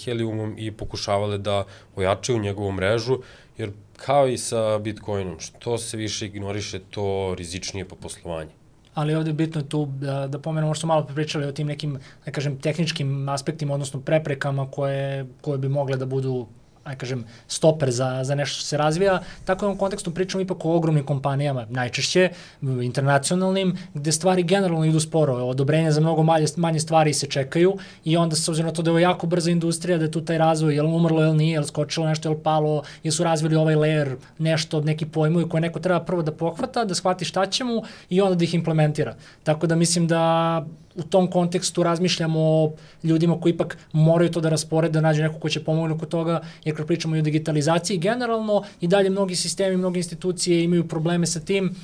Heliumom i pokušavale da ojačaju njegovu mrežu, jer kao i sa Bitcoinom, što se više ignoriše, to rizičnije po poslovanju. Ali ovde je bitno tu da pomenemo, možda smo malo pričali o tim nekim, da kažem, tehničkim aspektima, odnosno preprekama koje bi mogle da budu, da kažem, stoper za nešto što se razvija. Tako u ovom kontekstu pričamo ipak o ogromnim kompanijama, najčešće internacionalnim, gde stvari generalno idu sporo. Odobrenja za mnogo manje stvari se čekaju i onda s obzirom na to da je ovo jako brza industrija, da je tu taj razvoj, je li umrlo, je li nije, je li skočilo nešto, je li palo, je su razvili ovaj layer, nešto, neki pojmovi koje neko treba prvo da pohvata, da shvati šta će mu i onda da ih implementira. Tako da mislim da u tom kontekstu razmišljamo o ljudima koji ipak moraju to da rasporede, da nađu neko ko će pomoći oko toga, jer kad pričamo i o digitalizaciji generalno i dalje mnogi sistemi, mnoge institucije imaju probleme sa tim,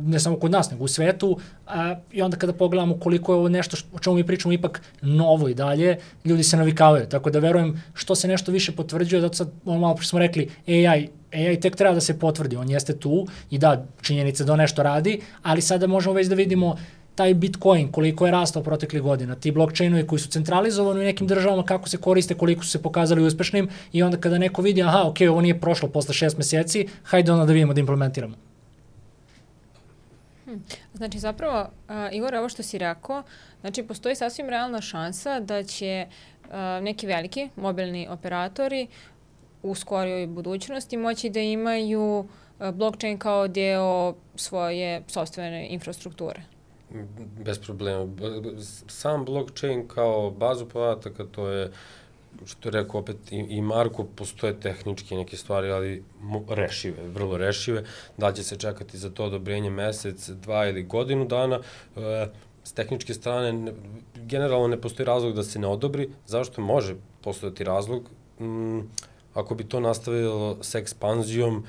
ne samo kod nas, nego u svetu, i onda kada pogledamo koliko je ovo nešto o čemu mi pričamo ipak novo i dalje, ljudi se navikavaju, tako da verujem što se nešto više potvrđuje, zato sad malo pre smo rekli AI tek treba da se potvrdi, on jeste tu i da, činjenica da on nešto radi, ali sada možemo već da vidimo taj Bitcoin, koliko je rastao proteklih godina, ti blockchainovi koji su centralizovani u nekim državama, kako se koriste, koliko su se pokazali uspešnim i onda kada neko vidi, ovo nije prošlo posle 6 meseci, hajde onda da vidimo da implementiramo. Znači, zapravo, Igor, ovo što si rekao, znači, postoji sasvim realna šansa da će neki veliki mobilni operatori u skorijoj budućnosti moći da imaju blockchain kao deo svoje sopstvene infrastrukture. Bez problema. Sam blockchain kao bazu podataka, to je što je rekao opet i Marko, postoje tehničke neke stvari, ali rešive, vrlo rešive. Da će se čekati za to odobrenje mesec, 2 ili godinu dana. S tehničke strane, generalno ne postoji razlog da se ne odobri. Zašto može postojati razlog? Ako bi to nastavilo sa ekspanzijom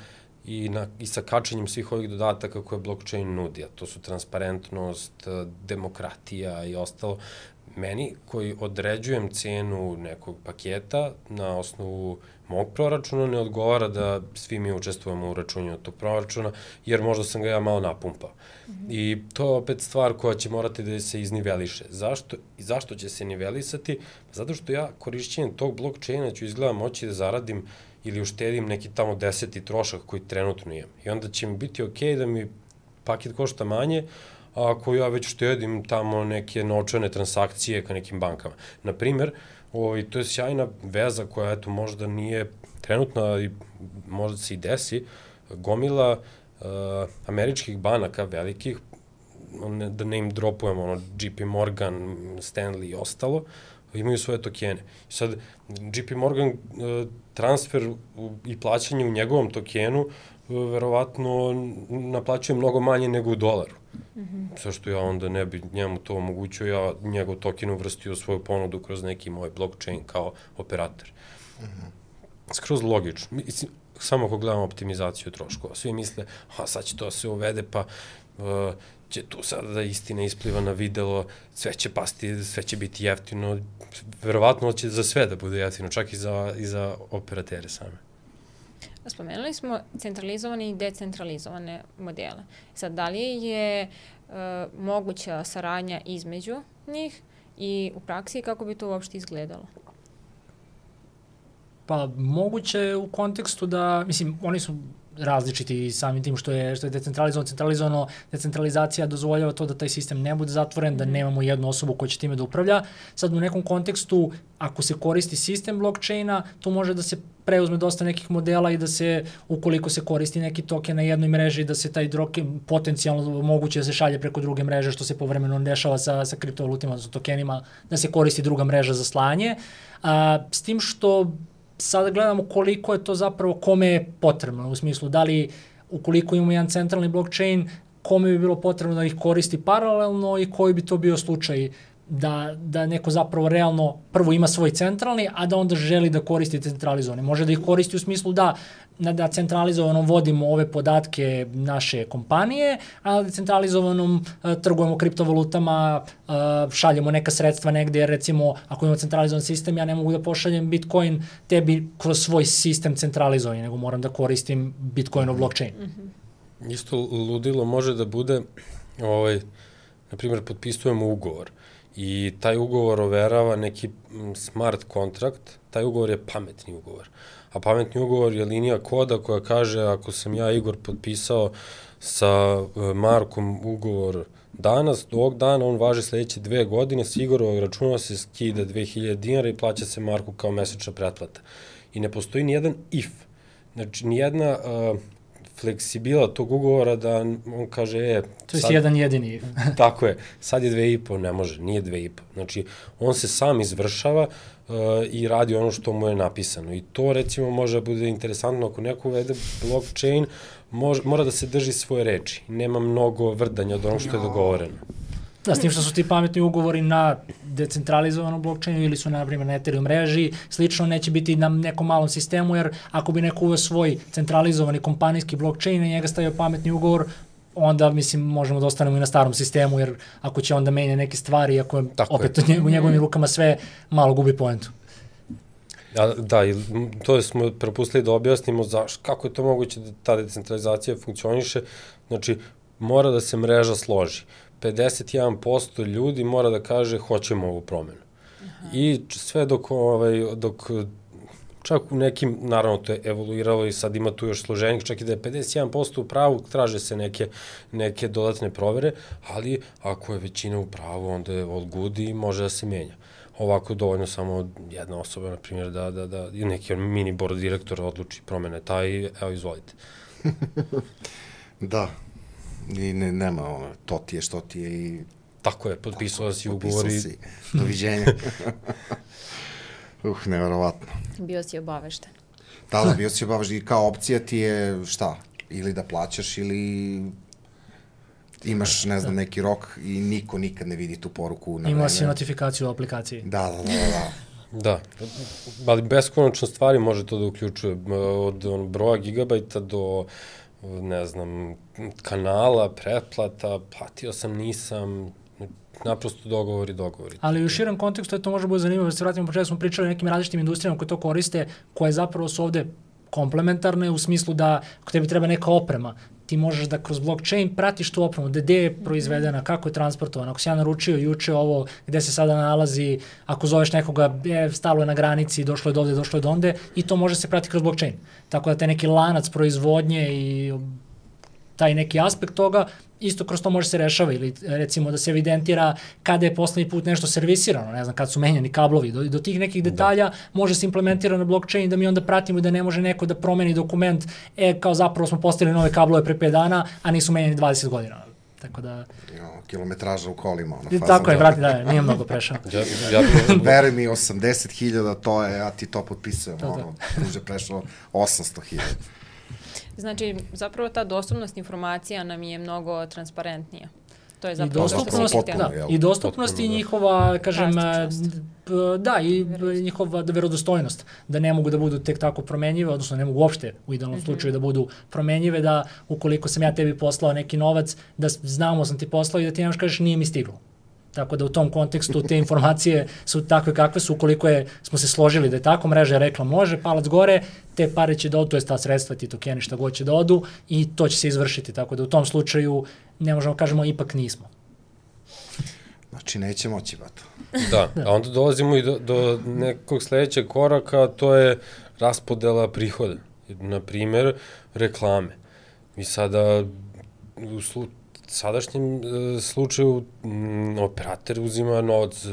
i sa kačenjem svih ovih dodataka koje blockchain nudi, a to su transparentnost, demokratija i ostalo, meni koji određujem cenu nekog paketa na osnovu mog proračuna ne odgovara da svi mi učestvujemo u računju tog proračuna, jer možda sam ga ja malo napumpao. I to je opet stvar koja će morati da se izniveliše. Zašto će se nivelisati? Zato što ja korišćenjem tog blockchaina ću izgleda moći da zaradim ili uštedim neki tamo 10. trošak koji trenutno imam. I onda će mi biti okej da mi paket košta manje, a ako ja već štedim tamo neke novčane transakcije ka nekim bankama. Naprimer, to je sjajna veza koja eto možda nije trenutna, ali možda se i desi, gomila američkih banaka velikih, da ne im dropujemo, JP Morgan, Stanley i ostalo, imaju svoje tokene. Sad, JP Morgan transfer i plaćanje u njegovom tokenu verovatno naplaćuje mnogo manje nego u dolaru. Zašto ja onda ne bi njemu to omogućio, ja njegov token uvrstio u svoju ponudu kroz neki moj blockchain kao operator. Skroz logično. Samo ako gledamo optimizaciju troškova. Svi misle, sad će to se uvede, pa će tu sada da istina ispliva na videlo, sve će pasti, sve će biti jeftino. Verovatno će za sve da bude jeftino, čak i za operatere same. Spomenuli smo centralizovane i decentralizovane modele. Sad, da li je moguća saradnja između njih i u praksi kako bi to uopšte izgledalo? Pa moguće u kontekstu da, mislim, oni su različiti samim tim što je centralizovano, decentralizacija dozvoljava to da taj sistem ne bude zatvoren, da nemamo jednu osobu koja će time da upravlja. Sad u nekom kontekstu, ako se koristi sistem blockchaina, tu može da se preuzme dosta nekih modela i da se, ukoliko se koristi neki token na jednoj mreži, da se taj token potencijalno moguće da se šalje preko druge mreže, što se povremeno dešava sa kriptovalutima, sa tokenima, da se koristi druga mreža za slanje. S tim što sada gledamo koliko je to zapravo, kome je potrebno, u smislu da li ukoliko imamo jedan centralni blockchain, kome bi bilo potrebno da ih koristi paralelno i koji bi to bio slučaj da neko zapravo realno prvo ima svoj centralni, a da onda želi da koristi centralizovani. Može da ih koristi u smislu da centralizovanom vodimo ove podatke naše kompanije, a da centralizovanom trgujemo kriptovalutama, šaljemo neka sredstva negde, jer recimo ako imamo centralizovan sistem, ja ne mogu da pošaljem Bitcoin tebi kroz svoj sistem centralizovani, nego moram da koristim Bitcoinov blockchain. Isto ludilo može da bude, na primjer, potpisujemo ugovor i taj ugovor overava neki smart kontrakt, taj ugovor je pametni ugovor. A pametni ugovor je linija koda koja kaže ako sam ja, Igor, potpisao sa Markom ugovor danas, do ovog dana on važi sledeće 2 godine, s Igorovog računa se skida 2000 dinara i plaća se Marku kao mesečna pretplata. I ne postoji nijedan if, znači nijedna fleksibila tog ugovora da on kaže, to je jedan jedini. Tako je, sad je 2,5, ne može, nije 2,5. Znači, on se sam izvršava i radi ono što mu je napisano. I to, recimo, može da bude interesantno ako neko uvede blockchain, mora da se drži svoje reči. Nema mnogo vrdanja od onog što je dogovoreno. Da, s tim što su ti pametni ugovori na decentralizovanom blockchainu ili su, na primjer, na Ethereum mreži, slično neće biti na nekom malom sistemu, jer ako bi neko uveo svoj centralizovani kompanijski blockchain i njega stavio pametni ugovor, onda, mislim, možemo da ostanemo i na starom sistemu, jer ako će onda menja neke stvari, ako je opet u njegovim rukama sve, malo gubi poentu. Da, i to smo propustili da objasnimo kako je to moguće da ta decentralizacija funkcioniše. Znači, mora da se mreža složi. 51% ljudi mora da kaže hoćemo ovu promenu. I sve dok čak u nekim, naravno to je evoluiralo i sad ima tu još složenih, čak i da je 51% u pravu, traže se neke dodatne provere, ali ako je većina u pravu, onda je all good i može da se menja. Ovako dovoljno samo jedna osoba, na primjer, da neki mini board direktora odluči promene taj, evo izvolite. Da. I nema to ti je što ti je i... Tako je, potpisala si ugovor i... Doviđenja. Neverovatno. Bio si obavešten. Da, bio si obavešten i kao opcija ti je šta? Ili da plaćaš ili imaš, ne znam, neki rok i niko nikad ne vidi tu poruku na vreme. Imao si notifikaciju u aplikaciji. Da. Da, ali beskonačno stvari može to da uključuje, od broja gigabajta do, ne znam, kanala, pretplata, platio sam, nisam, naprosto dogovori. Ali u širem kontekstu to može biti zanimljivo, da se vratimo početku, smo pričali o nekim različitim industrijama koje to koriste, koje zapravo su ovde komplementarne u smislu da ako tebi treba neka oprema, ti možeš da kroz blockchain pratiš tu opremu, gde je proizvedena, kako je transportovana. Ako si ja naručio juče ovo, gde se sada nalazi, ako zoveš nekoga, stalo je na granici, došlo je do ovde, došlo je do onde, i to može se pratiti kroz blockchain. Tako da te neki lanac proizvodnje i taj neki aspekt toga, isto kroz to može se rešava, ili recimo da se evidentira kada je poslednji put nešto servisirano, ne znam, kad su menjani kablovi, do tih nekih detalja može se implementirati na blockchain, da mi onda pratimo da ne može neko da promeni dokument, kao zapravo smo postavili nove kablove pre 5 dana, a nisu menjani 20 godina. Tako da... Kilometraža u kolima. Tako je, vrati, da, nije mnogo prešao. Veruj mi, 80.000, to je, ja ti to potpisujem, tuže prešao 800.000. Znači, zapravo ta dostupnost informacija nam je mnogo transparentnija. To je zapravo i dostupnost i njihova, kažem, da, i njihova verodostojnost, da ne mogu da budu tek tako promenjive, odnosno ne mogu uopšte u idealnom slučaju da budu promenjive, da ukoliko sam ja tebi poslao neki novac, da znamo sam ti poslao i da ti nemaš kažeš nije mi stiglo. Tako da u tom kontekstu te informacije su takve kakve su, ukoliko smo se složili da je tako, mreža je rekla može, palac gore, te pare će da odu, to je ta sredstva, ti tokeni šta god će da odu i to će se izvršiti, tako da u tom slučaju ne možemo kažemo ipak nismo. Znači neće moći bato. Da, a onda dolazimo i do nekog sledećeg koraka, to je raspodela prihoda. Naprimer, reklame. Mi sada u sadašnjem slučaju operator uzima novac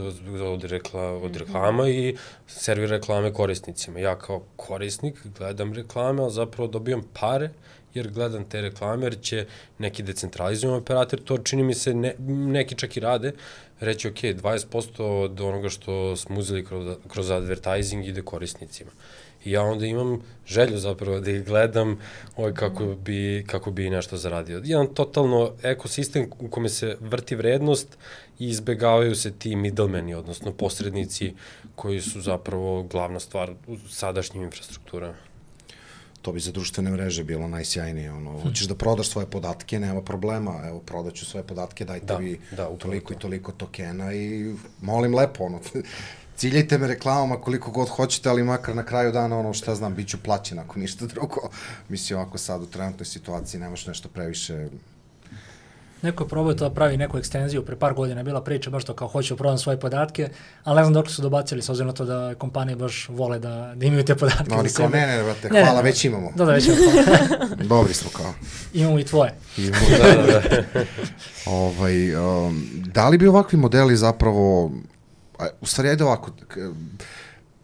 od reklama i servira reklame korisnicima. Ja kao korisnik gledam reklame, ali zapravo dobijam pare jer gledam te reklame, jer će neki decentralizovan operator, to čini mi se neki čak i rade, reći ok, 20% od onoga što smo uzeli kroz advertising ide korisnicima. I ja onda imam želju zapravo da ih gledam kako bi nešto zaradio. Jedan totalno ekosistem u kome se vrti vrednost i izbegavaju se ti middlemeni, odnosno posrednici koji su zapravo glavna stvar u sadašnjim infrastrukturama. To bi za društvene mreže bilo najsjajnije. Hoćeš da prodaš svoje podatke, nema problema. Evo, prodaću svoje podatke, dajte vi toliko i toliko tokena i molim lepo, ciljajte me reklamama koliko god hoćete, ali makar na kraju dana, šta znam, bit ću plaćen ako ništa drugo. Mislim, ovako sad u trenutnoj situaciji nemaš nešto previše... Neko je probao to da pravi neku ekstenziju, pre par godina je bila priča baš to kao hoću prodam svoje podatke, ali ne znam dok su dobacili, s obzirom na to da kompanije baš vole da imaju te podatke. No, oni kao ne, brate, hvala, već imamo. Da, već imamo. Dobri smo kao. Imamo i tvoje. Da li bi ovakvi modeli zapravo, u stvari, ajde ovako,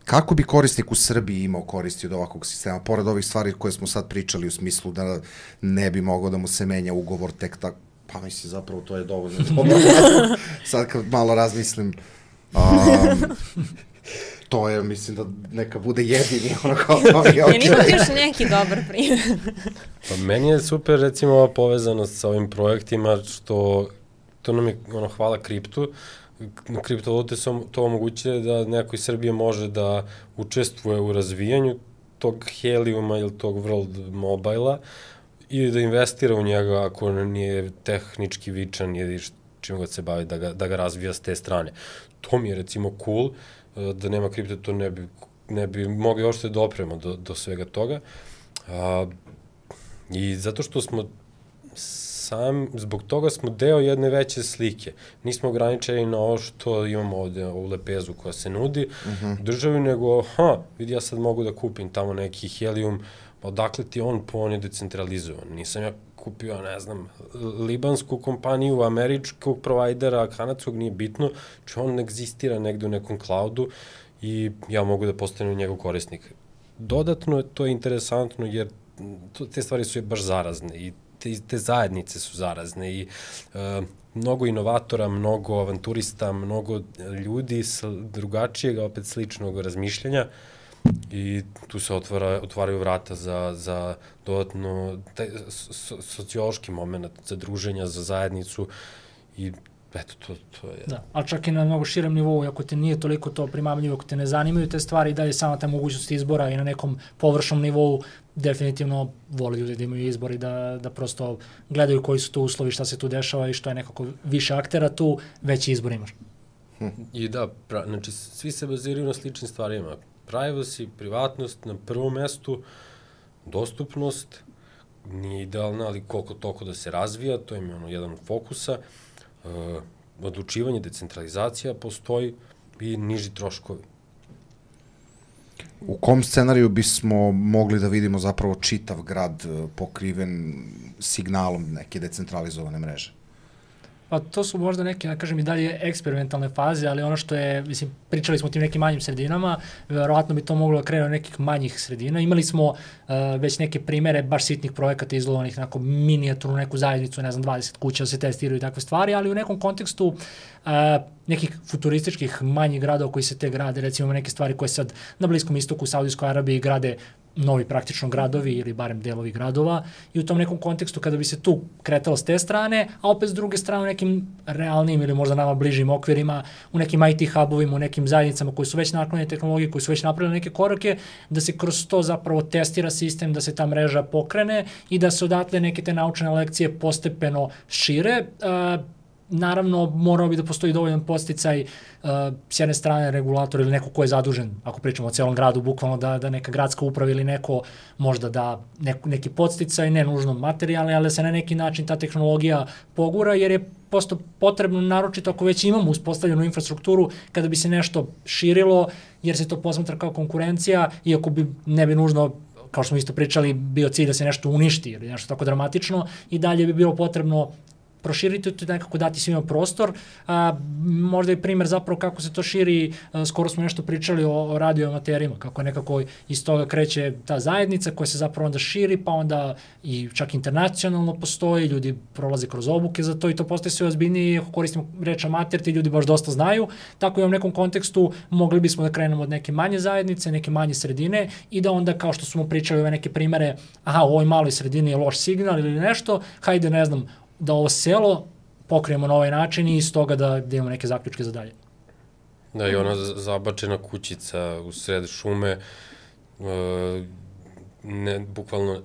kako bi korisnik u Srbiji imao koristi od ovakvog sistema, pored ovih stvari koje smo sad pričali u smislu da ne bi mogao da mu se menja ugovor tek tako, pa mislim, zapravo to je dovoljno dobro. Sad kad malo razmislim, to je, mislim da neka bude jedini, kao to je okej. Imate još neki dobar primjer. Pa meni je super, recimo, ova povezanost sa ovim projektima, što to nam je, hvala kriptu, kriptovalute su to omogućile da neko iz Srbije može da učestvuje u razvijanju tog Heliuma ili tog World Mobile-a i da investira u njega ako nije tehnički vičan ili čim god se bavi da ga razvija s te strane. To mi je recimo cool, da nema kripto, to ne bi mogli uopšte da opremo do svega toga. I zato što smo zbog toga smo deo jedne veće slike. Nismo ograničeni na ovo što imamo ovde u lepezu koja se nudi državi, nego, vidi, ja sad mogu da kupim tamo neki Helium, odakle ti on je decentralizovan. Nisam ja kupio, ne znam, libansku kompaniju, američkog provajdera, kanadskog, nije bitno, či on egzistira negde u nekom cloudu i ja mogu da postanem njegov korisnik. Dodatno to je interesantno jer te stvari su baš zarazne i te zajednice su zarazne i mnogo inovatora, mnogo avanturista, mnogo ljudi drugačijeg, opet sličnog razmišljanja i tu se otvaraju vrata za dodatno sociološki moment, za druženja, za zajednicu i eto, to je... Da, ali čak i na mnogo širem nivou, ako te nije toliko to primamljivo, ako te ne zanimaju te stvari, da je sama ta mogućnost izbora i na nekom površnom nivou, definitivno vole ljudi da imaju izbor i da prosto gledaju koji su tu uslovi, šta se tu dešava i što je nekako više aktera tu, veći izbor imaš. I da, znači svi se baziraju na sličnim stvarima. Privacy, privatnost na prvom mestu, dostupnost, nije idealna, ali koliko toliko da se razvija, to je jedan od fokusa, odlučivanje, decentralizacija postoji i niži troškovi. U kom scenariju bismo mogli da vidimo zapravo čitav grad pokriven signalom neke decentralizovane mreže? Pa to su možda neke, da kažem, i dalje eksperimentalne faze, ali ono što je, mislim, pričali smo o tim nekim manjim sredinama, verovatno bi to moglo da krene od nekih manjih sredina. Imali smo već neke primere baš sitnih projekata izolovanih, onako minijaturnu neku zajednicu, ne znam, 20 kuća da se testiraju i takve stvari, ali u nekom kontekstu nekih futurističkih manjih gradova koji se te grade, recimo neke stvari koje sad na Bliskom istoku, u Saudijskoj Arabiji grade novi praktično gradovi ili barem delovi gradova i u tom nekom kontekstu kada bi se tu kretalo s te strane, a opet s druge strane u nekim realnim ili možda nama bližim okvirima, u nekim IT hubovima, u nekim zajednicama koji su već naklonjene tehnologije, koji su već napravili neke korake, da se kroz to zapravo testira sistem, da se ta mreža pokrene i da se odatle neke te naučne lekcije postepeno šire. Naravno, morao bi da postoji dovoljan podsticaj s jedne strane regulator ili neko ko je zadužen, ako pričamo o celom gradu, bukvalno da neka gradska uprava ili neko možda da neki podsticaj, ne nužno materijalni, ali da se na neki način ta tehnologija pogura, jer je posto potrebno, naročito ako već imamo uspostavljenu infrastrukturu, kada bi se nešto širilo, jer se to posmatra kao konkurencija, iako ne bi nužno, kao što smo isto pričali, bio cilj da se nešto uništi ili nešto tako dramatično, i dalje bi bilo potrebno proširiti to i nekako dati svima prostor. Možda i primer zapravo kako se to širi, skoro smo nešto pričali o radioamaterima, kako nekako iz toga kreće ta zajednica koja se zapravo onda širi, pa onda i čak internacionalno postoji, ljudi prolaze kroz obuke za to i to postaje sve ozbiljnije, ako koristimo reč amater, ti ljudi baš dosta znaju, tako i u nekom kontekstu mogli bismo da krenemo od neke manje zajednice, neke manje sredine i da onda kao što smo pričali ove neke primere, u ovoj maloj sredini je loš signal ili nešto, hajde ne znam, da ovo selo pokrijemo na ovaj način i iz toga da imamo neke zaključke za dalje. Da, i ona zabačena kućica u sred šume, bukvalno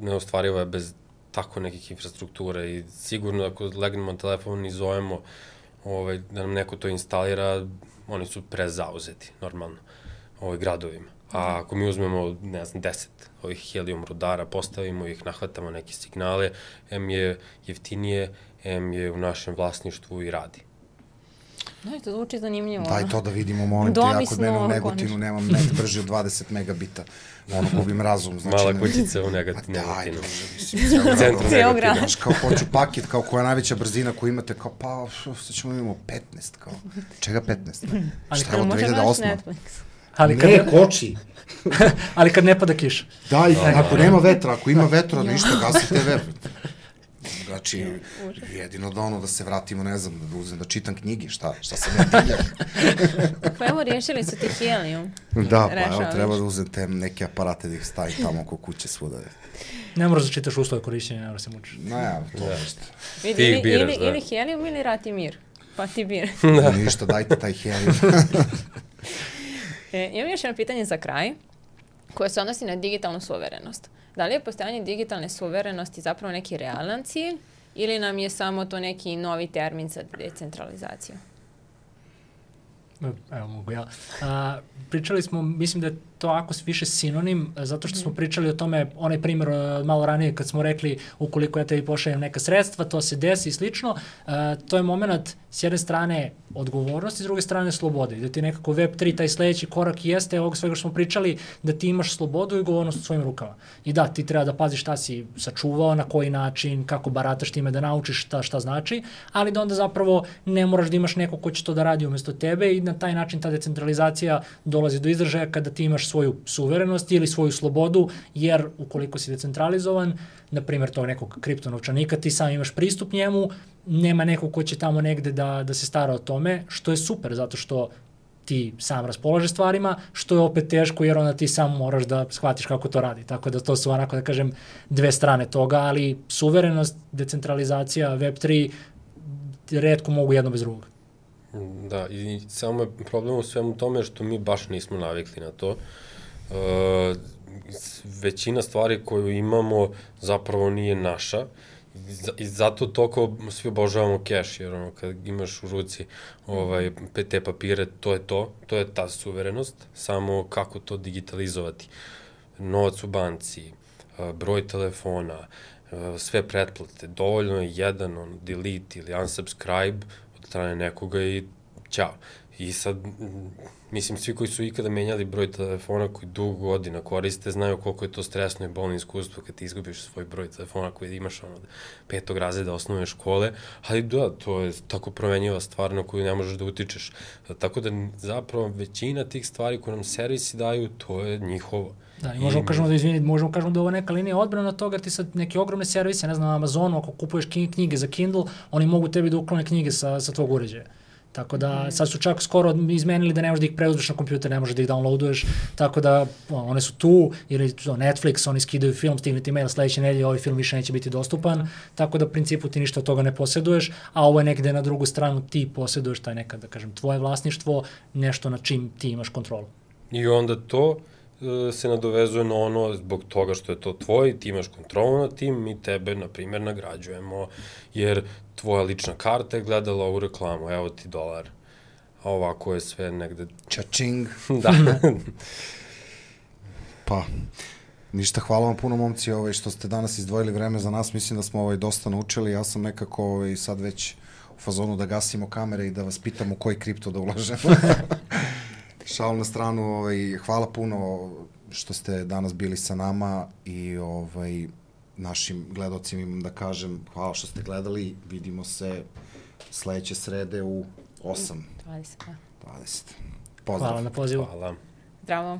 neostvarivo je bez tako nekih infrastrukture i sigurno ako legnemo na telefon i zovemo da nam neko to instalira, oni su prezauzeti, normalno, gradovima. A ako mi uzmemo, ne znam, 10 ovih helium rudara, postavimo ih, nahvatamo neke signale, M je jeftinije, M je u našem vlasništvu i radi. Da, to zvuči zanimljivo. Daj to da vidimo, molim te, ja kod mene u Negotinu nemam net brži od 20 megabita. Ono, gubim razum. Mala kućica u Negotinu. Daj, centru Negotina. Znaš, kao hoću paket, kao koja najveća brzina koju imate, kao pa, sad ćemo imamo 15, kao. Čega 15? Šta je od 2008? Ne, koči. Ali kad ne pada kiša. Da, ako nema vetra, ako ima vetra, ništa, gasite vetra. Znači, jedino da se vratimo, ne znam, da čitam knjige, šta sam ja tiljak. Pa evo, riješili su ti helijum. Da, pa evo, treba da uzem te neke aparate da ih stavim tamo oko kuće svuda. Ne moraš da čitaš uslove korišćenja, ne moraš se mučiš. Ne, to nešto. Vidi, ili helijum ili rat i mir. Pa ti bir. Ništa, dajte taj helijum. Imam još jedno pitanje za kraj, koje se odnosi na digitalnu suverenost. Da li je postojanje digitalne suverenosti zapravo neki realan cilj ili nam je samo to neki novi termin za decentralizaciju? Evo mogu ja. Pričali smo, mislim da je to ako više sinonim, zato što smo pričali o tome, onaj primjer malo ranije kad smo rekli ukoliko ja tebi pošaljem neka sredstva, to se desi i slično, to je moment s jedne strane odgovornosti, s druge strane slobode. Da ti nekako Web3, taj sledeći korak jeste ovog svega što smo pričali, da ti imaš slobodu i odgovornost u svojim rukama. I da, ti treba da paziš šta si sačuvao, na koji način, kako barataš time, da naučiš šta znači, ali da onda zapravo ne moraš da imaš neko ko će to da radi umesto tebe i na taj način ta decentralizacija dolazi do izražaja kada ti imaš svoju suverenost ili svoju slobodu, jer ukoliko si decentralizovan, na primjer tog nekog kriptonovčanika, ti sam imaš pristup njemu, nema nekog ko će tamo negde da se stara o tome, što je super, zato što ti sam raspolažeš stvarima, što je opet teško jer onda ti sam moraš da shvatiš kako to radi. Tako da to su onako da kažem dve strane toga, ali suverenost, decentralizacija, Web3 retko mogu jedno bez drugog. Da, i samo je problem u svemu tome što mi baš nismo navikli na to. Većina stvari koju imamo zapravo nije naša. I zato toliko svi obožavamo cash, jer ono, kad imaš u ruci te papire, to je ta suverenost, samo kako to digitalizovati. Novac u banci, broj telefona, sve pretplate, dovoljno je jedan delete ili unsubscribe od strane nekoga i ćao. I sad, mislim, svi koji su ikada menjali broj telefona koji dugo godina koriste, znaju koliko je to stresno i bolno iskustvo kad ti izgubiš svoj broj telefona koji imaš od 5. razreda osnovne škole, ali da, to je tako promenjiva stvar na koju ne možeš da utičeš. Tako da zapravo većina tih stvari koje nam servisi daju, to je njihovo. Da, i možemo kažemo da je ovo neka linija odbrana od toga, ti sad neke ogromne servise, ne znam, na Amazonu, ako kupuješ knjige za Kindle, oni mogu tebi da uklone knjige sa tvog uređaja. Tako da, sad su čak skoro izmenili da ne možeš da ih preuzmeš na kompjuter, ne možeš da ih downloaduješ, tako da one su tu, ili Netflix, oni skidaju film, stigne ti mail sledeće nedelje, ovaj film više neće biti dostupan, tako da u principu ti ništa od toga ne posjeduješ, a ovo je negde na drugu stranu ti posjeduješ taj nekad, da kažem, tvoje vlasništvo, nešto na čim ti imaš kontrolu. I onda to se nadovezuje na ono zbog toga što je to tvoj, ti imaš kontrolu nad tim, mi tebe, na primjer, nagrađujemo, jer tvoja lična karta je gledala ovu reklamu, evo ti $1, a ovako je sve negde... Čačing. Da. Pa, ništa, hvala vam puno, momci, što ste danas izdvojili vreme za nas, mislim da smo dosta naučili, ja sam nekako sad već u fazonu da gasimo kamere i da vas pitam u koji kripto da ulažemo. Šal na stranu, hvala puno što ste danas bili sa nama i našim gledocima imam da kažem hvala što ste gledali, vidimo se sledeće srede u 8:20. Pozdrav. Hvala na pozivu. Hvala. Zdravo.